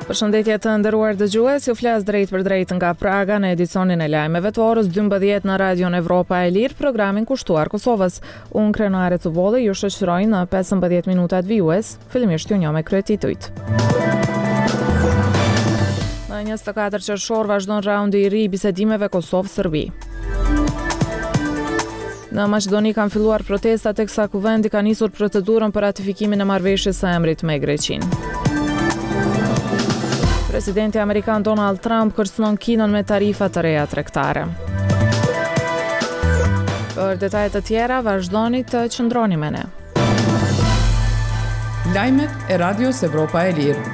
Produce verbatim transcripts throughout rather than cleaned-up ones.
Përshëndetje të nderuar dëgjues, ju flas drejt për drejt nga Praga në edicionin e lajmeve të orës dymbëdhjetë në Radion Evropa e Lirë, programin kushtuar Kosovës. Unë Krenare Cubolli ju shoqëroj në pesëmbëdhjetë minutat vijues, fillimisht ju njoh me kryetitujt. Në njëzet e katër qershor vazhdon raundi i ri i bisedimeve Kosovë-Serbi. Në Maqedoni kanë filluar protesta teksa Kuvendi ka nisur procedurën për ratifikimin e marrëveshjes së emrit me Greqinë. Presidenti amerikan Donald Trump kërcënon Kinën me tarifa të reja tregtare. Për detaje të tjera, vazhdoni të qëndroni me ne. Lajmet e Radios Evropa e Lirë.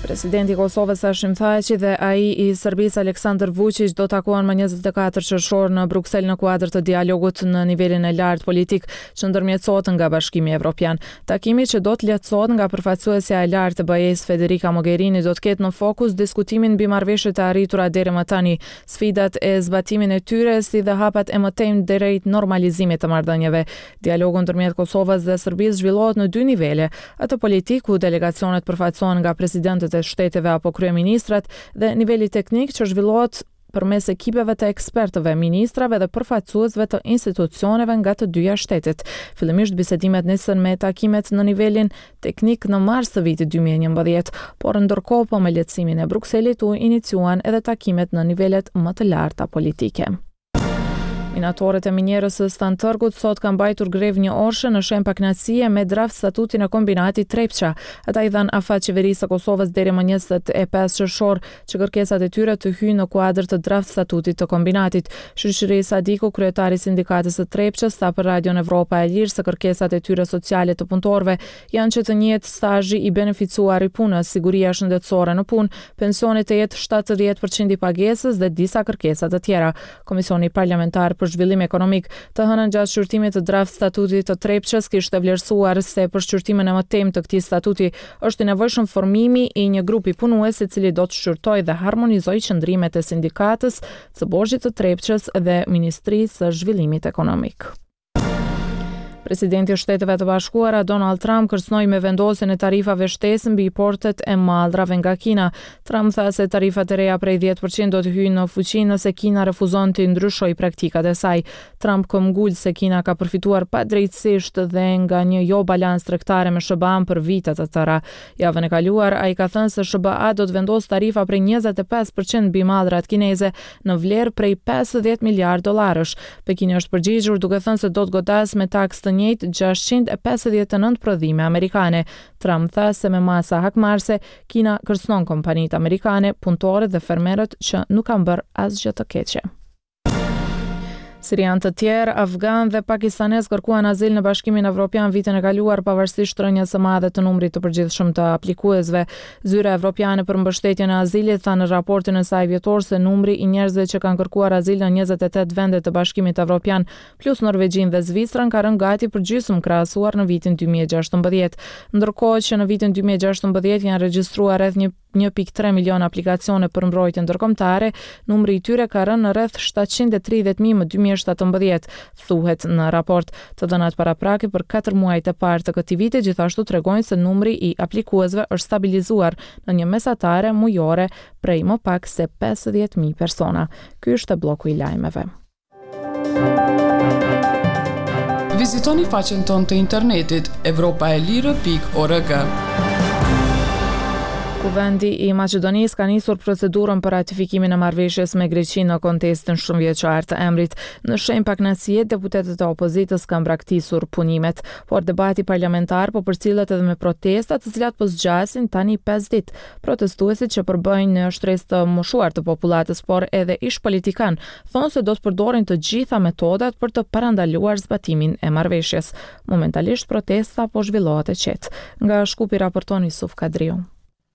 Presidenti i Kosovës Hashim Thaçi dhe ai i Serbisë Aleksandar Vučić do takohen më njëzet e katër qershor në Bruksel në kuadër të dialogut në nivelin e lartë politik që ndërmjetësohet nga Bashkimi Evropian. Takimi që do të lehtësohet nga përfaqësuesja e lartë e B E-s Federica Mogherini do të ketë në fokus diskutimin mbi marrëveshjet e arritura deri më tani, sfidat e zbatimin e tyre si dhe hapat e mëtejmë drejt normalizimit të marrëdhënieve. Dialogu ndërmjet Kosovës dhe Serbisë zhvillohet në dy nivele, atë politik ku delegacionet përfaqësohen nga presidentët e shteteve apo kryeministrat dhe niveli teknik që zhvillohet përmes ekipeve të ekspertëve, ministrave dhe përfaqësuesve të institucioneve nga të dyja shtetet. Fillimisht bisedimet nisën me takimet në nivelin teknik në mars të vitit dy mijë e njëmbëdhjetë, por ndërkohë po me lehtësimin e Brukselit u iniciuan edhe takimet në nivelet më të larta politike. Minatorët e minierës së Stantërgut sot kanë mbajtur grevë një orëshe në shenjë pakënaqësie me draft statutin e kombinatit Trepça. Ata i dhanë afat qeverisë së Kosovës deri më njëzet e pesë qershor që kërkesat e tyre të hyjnë në kuadër të draft statutit të kombinatit. Shyqyri Sadiku, kryetari i sindikatës së Trepçës, tha për Radion Evropa e Lirë se kërkesat e tyre sociale të punëtorëve janë që të njihet stazhi i beneficuar i punës, siguria shëndetësore në punë, pensioni të jetë shtatëdhjetë përqind i pagesës dhe disa kërkesa të tjera. Komisioni Parlamentar për Zhvillim Ekonomik të hënën gjatë shqyrtimit të draft statutit të Trepçës kishte vlerësuar se për shqyrtimin e mëtejmë të këtij statuti është i nevojshëm formimi i një grupi punues i cili do të shqyrtojë dhe harmonizojë qëndrimet e sindikatës së borxhit të Trepçës dhe Ministrisë së Zhvillimit Ekonomik. Presidenti i Shteteve të Bashkuara Donald Trump kërcënoi me vendosjen e tarifave shtesë mbi portet e mallrave nga Kina. Trump tha se tarifat e reja prej dhjetë përqind do të hyjnë në fuqi nëse Kina refuzon të ndryshojë praktikat e saj. Trump këmbgul se Kina ka përfituar padrejtësisht dhe nga një jo balancë tregtare me S H B A-n për vite të tëra. Javën e kaluar ai ka thënë se S H B A do të vendosë tarifa prej njëzet e pesë përqind mbi mallrat kineze në vlerë prej pesëdhjetë miliard dollarësh. Pekini është përgjigjur duke thënë se do të godasë me taksë të njëjtë gjashtëqind e pesëdhjetë e nëntë prodhime amerikane. Trump tha se me masa hakmarrëse Kina kërcënon kompanitë amerikane, punëtorët dhe fermerët që nuk kanë bërë asgjë të keqe. Sirian të tjerë, afgan dhe pakistanez kërkuan azil në Bashkimin Evropian vitin e kaluar pavarësisht rënies së madhe të numrit të përgjithshëm të aplikuesve. Zyra Evropiane për mbështetjen e azilit tha në raportin e saj vjetor se numri i njerëzve që kanë kërkuar azil në njëzet e tetë vende të Bashkimit Evropian plus Norvegjinë dhe Zvicrën ka rënë gati për gjysmë krahasuar në vitin dy mijë e gjashtëmbëdhjetë. Ndërkohë që në vitin dy mijë e gjashtëmbëdhjetë janë regjistruar rreth një një pikë tre milion aplikacione për mbrojtje ndërkombëtare, numri i tyre ka rënë në rreth shtatëqind e tridhjetë mijë më dy mijë e shtatëmbëdhjetë, thuhet në raport. Të dhënat paraprake për katër muajt e parë të këtij viti gjithashtu tregojnë se numri i aplikuesve është stabilizuar në një mesatare mujore prej më pak se pesëdhjetë mijë persona. Ky është bloku i lajmeve. Vizitoni faqen tonë të internetit evropa e lirë pikë org. Kuvendi i Maqedonisë ka nisur procedurën për ratifikimin e marrëveshjes me Greqinë në kontestin shumëvjeçar të emrit. Në shenjë pakënaqësie, deputetët e opozitës kanë braktisur punimet, por debati parlamentar po përcillet edhe me protesta, të cilat po zgjasin tani pesë ditë. Protestuesit që përbëjnë një shtresë të moshuar të popullatës, por edhe ish politikan, thonë se do të përdorin të gjitha metodat për të parandaluar zbatimin e marrëveshjes. Momentalisht protesta po zhvillohet e qetë. Nga Shkupi raporton Isuf Kadriu.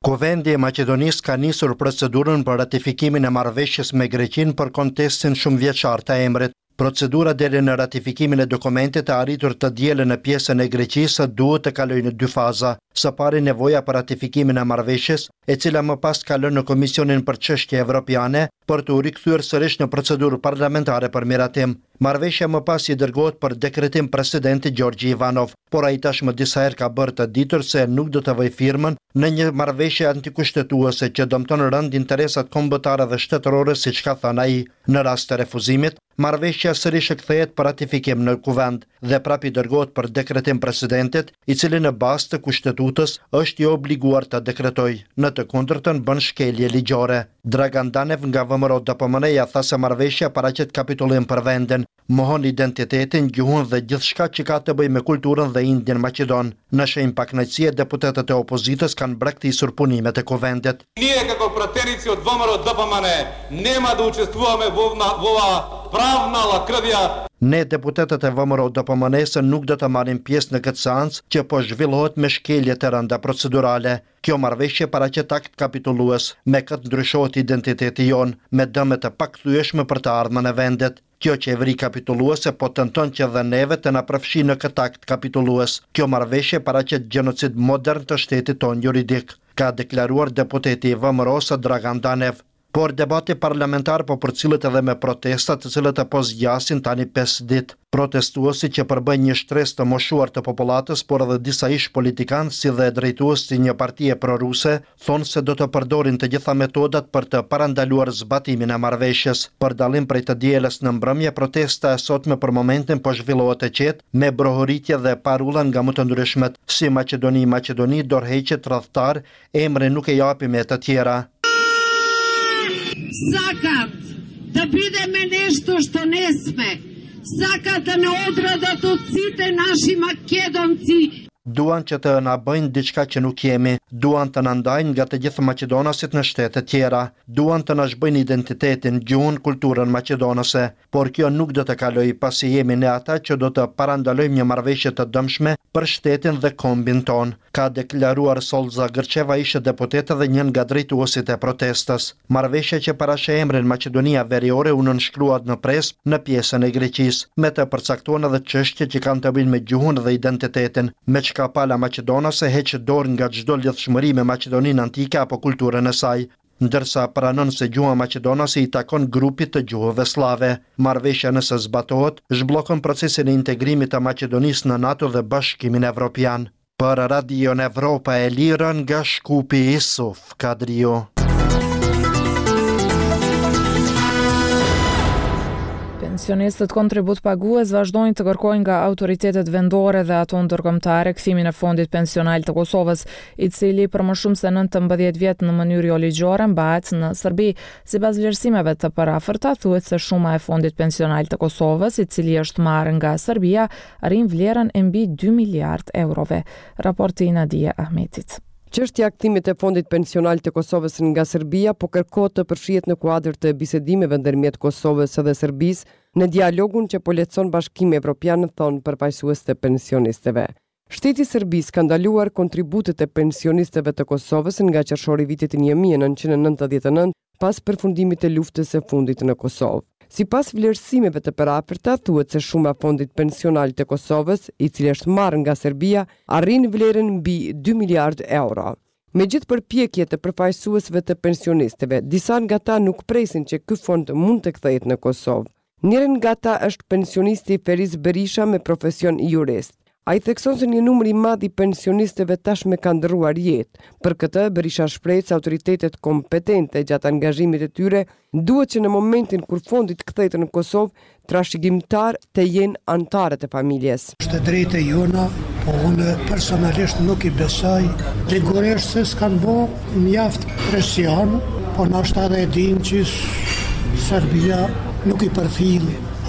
Kuvendi i Maqedonisë ka nisur procedurën për ratifikimin e marrëveshjes me Greqinë për kontestin shumëvjeçar të emrit. Procedura deri në ratifikimin e dokumentit të arritur të dielën në pjesën e Greqisë duhet të kalojë në dy faza. Së pari nevoja për ratifikimin e marrëveshjes, e cila më pas kalon në Komisionin për Çështje Evropiane për të u rikthyer sërish në procedurë parlamentare për miratim. Marrëveshja më pas i dërgohet për dekretim presidentit Gjorgji Ivanov, por ai tashmë disa herë ka bërë të ditur se nuk do të vëjë firmën në një marrëveshje antikushtetuese që dëmton rënd interesat kombëtare dhe shtetërore, siç ka thënë ai. Në rast të refuzimit, marrëveshja sërish kthehet për ratifikim në Kuvend dhe prapë i dërgohet për dekretim presidentit, i cili në bazë të kushtetutës është i obliguar të dekretojë. Në të kundërtën bën shkelje ligjore. Dragan Danev nga V M R O D P M N-ja tha se marrëveshja paraqet kapitullim për vendin, mohon identitetin, gjuhën dhe gjithçka që ka të bëjë me kulturën dhe indin maqedon. Në shenjë pakënaqësie, deputetët e opozitës kanë braktisur punimet e kuvendit. Ние како пратеници од V M R O D P M N нема да учествуваме во оваа правна лакрдија. Ne deputetët e V M R O D P M N-së nuk do të marrim pjesë në këtë seancë që po zhvillohet me shkelje të rënda procedurale. Kjo marrëveshje paraqet akt kapitullues, me këtë ndryshohet identiteti jon, me dëme të pakthyeshme për të ardhmen e vendit. Kjo qeveri kapitulluese po tenton që dhe neve të na përfshijë në këtë akt kapitullues. Kjo marrëveshje paraqet gjenocid modern të shtetit tonë juridik, ka deklaruar deputeti i V M R O-së Dragan Danev. Por debati parlamentar po përcillet edhe me protesta të cilët po zgjasin tani pesë ditë. Protestuesit që përbëjnë një shtresë të moshuar të popullatës, por edhe disa ish politikanë si dhe drejtues të një partie proruse, thonë se do të përdorin të gjitha metodat për të parandaluar zbatimin e marrëveshjes. Për dallim prej të dielës në mbrëmje, protesta e sotme për momentin po zhvillohet e qetë, me brohoritje dhe parulla nga më të ndryshmet, si Maqedoni, Maqedoni, dorëheqje tradhtar, emrin nuk e japim e të tjera. Сакат да бидеме нешто што не сме. Сакат да не одрадат од сите наши македонци. Duan që të na bëjnë diçka që nuk jemi, duan të na ndajnë nga të gjithë maqedonasit në shtete tjera, duan të na zhbëjnë identitetin, gjuhën, kulturën maqedonase, por kjo nuk do të kalojë pasi jemi ne ata që do të parandalojmë një marrëveshje të dëmshme për shtetin dhe kombin ton, ka deklaruar Solza Grçeva, ishte deputete dhe një nga drejtuesit e protestës. Marrëveshja që parasheh emrin Maqedonia Veriore u nënshkrua në Presp në pjesën e Greqisë, me të përcaktuar edhe çështje që kanë të bëjnë me gjuhën dhe identitetin, me çka pala maqedonase heq dorë nga çdo lidhshmëri me Maqedoninë antike apo kulturën e saj, ndërsa pranon se gjuha maqedonase i takon grupit të gjuhëve slave. Marrëveshja nëse zbatohet, zhbllokon procesin e integrimit të Maqedonisë në NATO dhe Bashkimin Evropian. Për Radion Evropa e Lirë nga Shkupi, Isuf Kadriu. Pensionistët kontribut pagues vazhdojnë të kërkojnë nga autoritetet vendore dhe ato ndërkombëtare kthimin e fondit pensional të Kosovës, i cili për më shumë se nëntëmbëdhjetë vjet në mënyrë jo ligjore mbahet në Serbi. Sipas vlerësimeve të parafërta, thuhet se shuma e fondit pensional të Kosovës, i cili është marrë nga Serbia, arrin vlerën e mbi dy miliard eurove. Raporti i Nadie Ahmetit. Çështja e kthimit të fondit pensional të Kosovës nga Serbia po kërkohet të përfshihet në kuadër të bisedimeve ndërmjet Kosovës dhe Serbisë në dialogun që po lehtëson Bashkimi Evropian, thonë përfaqësues të pensionistëve. Shteti i Serbisë ka ndaluar kontributet e pensionistëve të Kosovës nga qershori i vitit një mijë e nëntëqind e nëntëdhjetë e nëntë pas përfundimit të luftës së fundit në Kosovë. Sipas vlerësimeve të përafërta, thuhet se shuma e fondit pensional të Kosovës, i cili është marrë nga Serbia, arrin vlerën mbi dy miliard euro. Me gjithë përpjekjet e përfaqësuesve të pensionistëve, disa nga ta nuk presin që ky fond mund të kthehet në Kosovë. Njëri nga ta është pensionisti Feriz Berisha me profesion jurist. Ai thekson se një numër i madh i pensionistëve tashmë ka ndërruar jetë. Për këtë, Berisha shprehet se autoritetet kompetente gjatë angazhimit të tyre duhet që në momentin kur fondi të kthehet në Kosovë, trashëgimtar të jenë anëtarët e familjes. Është e drejtë e jona, po unë personalisht nuk i besoj. Ligurisht se s'kan bo mjaft presion, po ndoshta edhe e din që Serbia nuk i përfill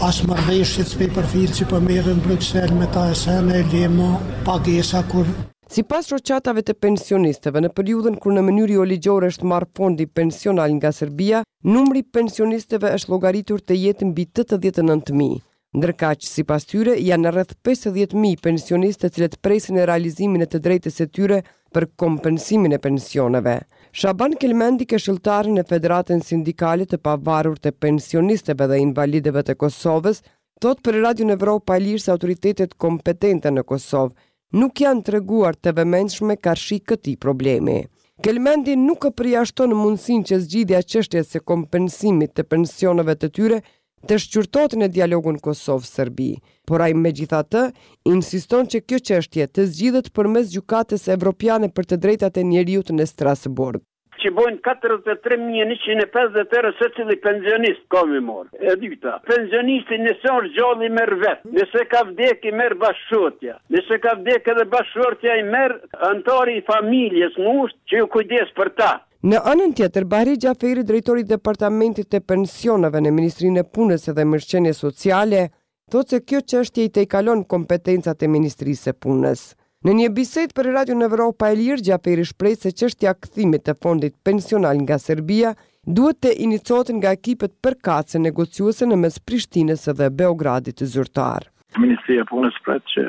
as marrëveshjet s'pe përfill që po merren në Bruksel me ta e sene, lemo, pagesa kur. Sipas shoqatave të pensionistëve, në periudhën kur në mënyrë jo ligjore është marrë fondi pensional nga Serbia, numri i pensionistëve është llogaritur të jetë mbi tetëdhjetë e nëntë mijë. Ndërkaq, sipas tyre, janë rreth pesëdhjetë mijë pensionistë të cilët presin në realizimin e të drejtës së tyre për kompensimin e pensioneve. Shaban Kelmendi, këshilltar në Federatën Sindikale të Pavarur të Pensionistëve dhe Invalidëve të Kosovës, thotë për Radion Evropa e Lirë se autoritetet kompetente në Kosovë nuk janë treguar të vëmendshme karshi këtij problemi. Kelmendi nuk e përjashton mundësinë që zgjidhja e çështjes së kompensimit të pensioneve të tyre të shqyrtohet në dialogun Kosovë-Serbi, por ai megjithatë insiston që kjo çështje të zgjidhet përmes Gjykatës Evropiane për të Drejtat e Njeriut në Strasburg. Që bojnë katërdhjetë e tre mijë e njëqind e pesëdhjetë euro secili pensionist ka me marrë. E dyta, pensionisti nëse është gjallë i merr vet, nëse ka vdekë i merr bashkëshortja, nëse ka vdekë edhe bashkëshortja i merr anëtari i familjes ngushtë që u kujdes për ta. Në anën tjetër, Bahri Xhaferi, drejtor i Departamentit të Pensioneve në Ministrinë e Punës dhe Mirëqenies Sociale, thotë se kjo çështje i tejkalon kompetencat e Ministrisë së Punës. Në një bisedë për Radion Evropa e Lirë, Xhaferi shprehet se çështja e kthimit të fondit pensional nga Serbia duhet të iniciohet nga ekipet përkatëse negociuese në mes Prishtinës dhe Beogradit zyrtar. Ministria e Punës pret që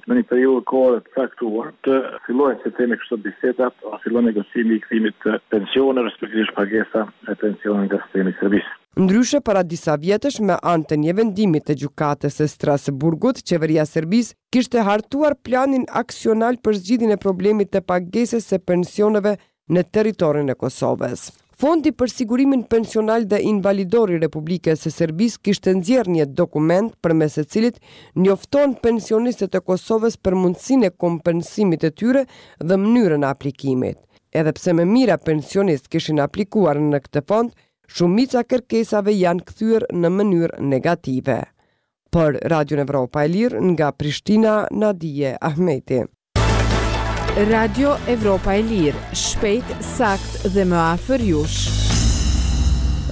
në një periudhë kohore të caktuar të fillojnë, si themi kështu, bisedat ose fillon negocimi i kthimit të pensioneve, respektivisht pagesa e pensioneve nga sistemi i Serbisë. Ndryshe, para disa vjetësh, me anë të një vendimi të Gjykatës së Strasburgut, qeveria e Serbisë kishte hartuar planin aksional për zgjidhjen e problemit të pagesës së pensioneve në territorin e Kosovës. Fondi për sigurimin pensional dhe invalidor i Republikës së Serbisë kishte nxjerrë një dokument përmes së cilit njofton pensionistët e Kosovës për mundësinë e kompensimit të tyre dhe mënyrën e aplikimit. Edhe pse me mijëra pensionistë kishin aplikuar në këtë fond, shumica e kërkesave janë kthyer në mënyrë negative. Për Radion Evropa e Lirë nga Prishtina, Nadije Ahmeti. Radio Evropa e Lirë, shpejt, sakt dhe më afër jush.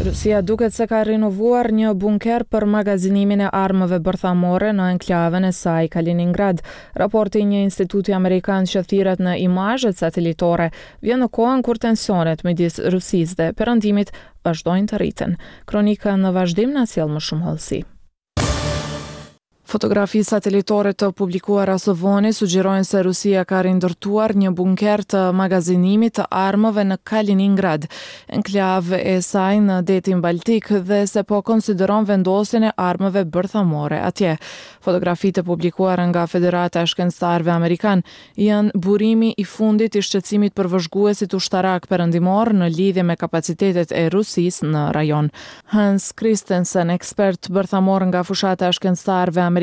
Rusia duket se ka rinovuar një bunker për magazinimin e armëve bërthamore në enklavën e saj Kaliningrad. Raporti i një instituti amerikan që thirret në imazhet satelitore vjen në kohën kur tensionet midis Rusisë dhe Perëndimit vazhdojnë të rriten. Kronika në vazhdim na sjell më shumë hollësi. Fotografi satelitore të publikuara së voni sugjerojnë se Rusia ka rindërtuar një bunker të magazinimit të armëve në Kaliningrad, enklavë e saj në detin Baltik, dhe se po konsideron vendosjen e armëve bërthamore atje. Fotografitë e publikuara nga Federata e Shkencëtarëve Amerikan janë burimi i fundit i shqetësimit për vëzhguesit ushtarak perëndimor në lidhje me kapacitetet e Rusisë në rajon. Hans Christensen, ekspert bërthamor nga fushata e shkencëtarëve amerikan,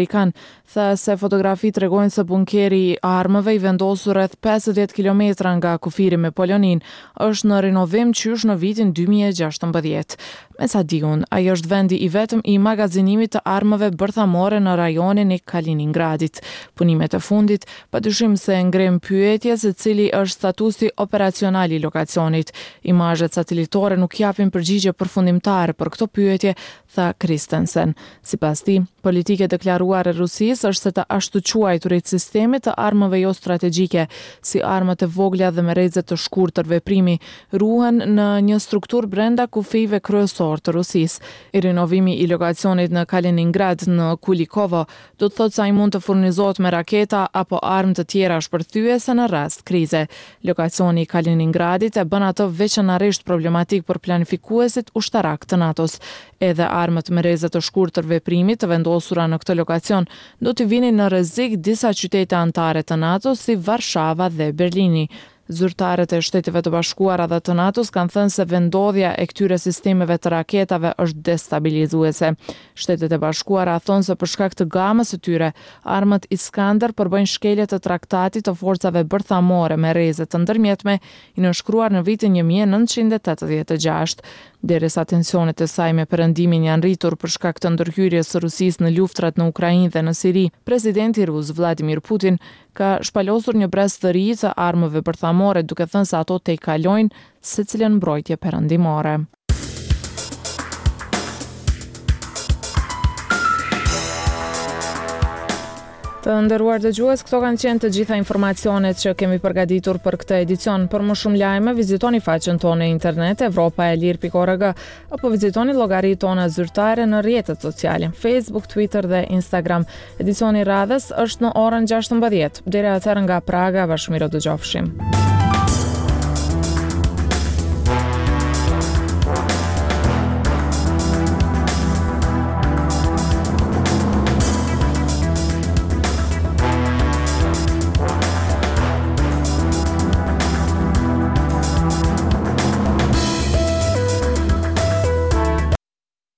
tha se fotografitë tregojnë se bunkeri i armëve i vendosur rreth pesëdhjetë kilometra nga kufiri me Poloninë është në rinovim qysh në vitin dy mijë e gjashtëmbëdhjetë. Me sa di unë, ai është vendi i vetëm i magazinimit të armëve bërthamore në rajonin e Kaliningradit. Punimet e fundit, padyshim se ngrenë pyetje se cili është statusi operacional i lokacionit. Imazhet satelitore nuk japin përgjigje përfundimtare për këto pyetje, tha Christensen. Sipas tij, politika e deklaruar e Rusisë është se të ashtuquajturit sisteme të armëve jo strategjike, si armët e vogla dhe me rreze të shkurtër veprimi, ruhen në një strukturë brenda kufijve kryesor të Rusisë. Rinovimi i lokacionit në Kaliningrad në Kulikovo do të thotë se ai mund të furnizohet me raketa apo armë të tjera shpërthyese në rast krize. Lokacioni i Kaliningradit e bën atë veçanërisht problematik për planifikuesit ushtarak të NATO-s. Edhe armët me rreze të shkurtër veprimi të vendosura në këtë lokacion do t'i vinin në rrezik disa qytete anëtare të NATO-s si Varshava dhe Berlini. Zyrtarët e Shteteve të Bashkuara dhe të NATO-s kanë thënë se vendodhja e këtyre sistemeve të raketave është destabilizuese. Shtetet e Bashkuara thonë se për shkak të gamës së tyre, armët Iskander përbëjnë shkelje të traktatit të forcave bërthamore me rreze të ndërmjetme i nënshkruar në vitin një mijë e nëntëqind e tetëdhjetë e gjashtë. Derisa tensionet e saj me Perëndimin janë rritur për shkak të ndërhyrjes së Rusisë në luftrat në Ukrainë dhe në Siri, presidenti rus Vladimir Putin ka shpalosur një brez të ri të armëve bërthamore, duke thënë se ato tejkalojnë secilën mbrojtje perëndimore. Të nderuar dëgjues, këto kanë qenë të gjitha informacionet që kemi përgatitur për këtë edicion. Për më shumë lajme, vizitoni faqen tonë në internet evropa e lirë pikë org apo vizitoni llogaritë tona zyrtare në rrjetet sociale, Facebook, Twitter dhe Instagram. Edicioni i radhës është në orën gjashtëmbëdhjetë. Deri atëherë nga Praga, bashkëmirë dëgjofshim.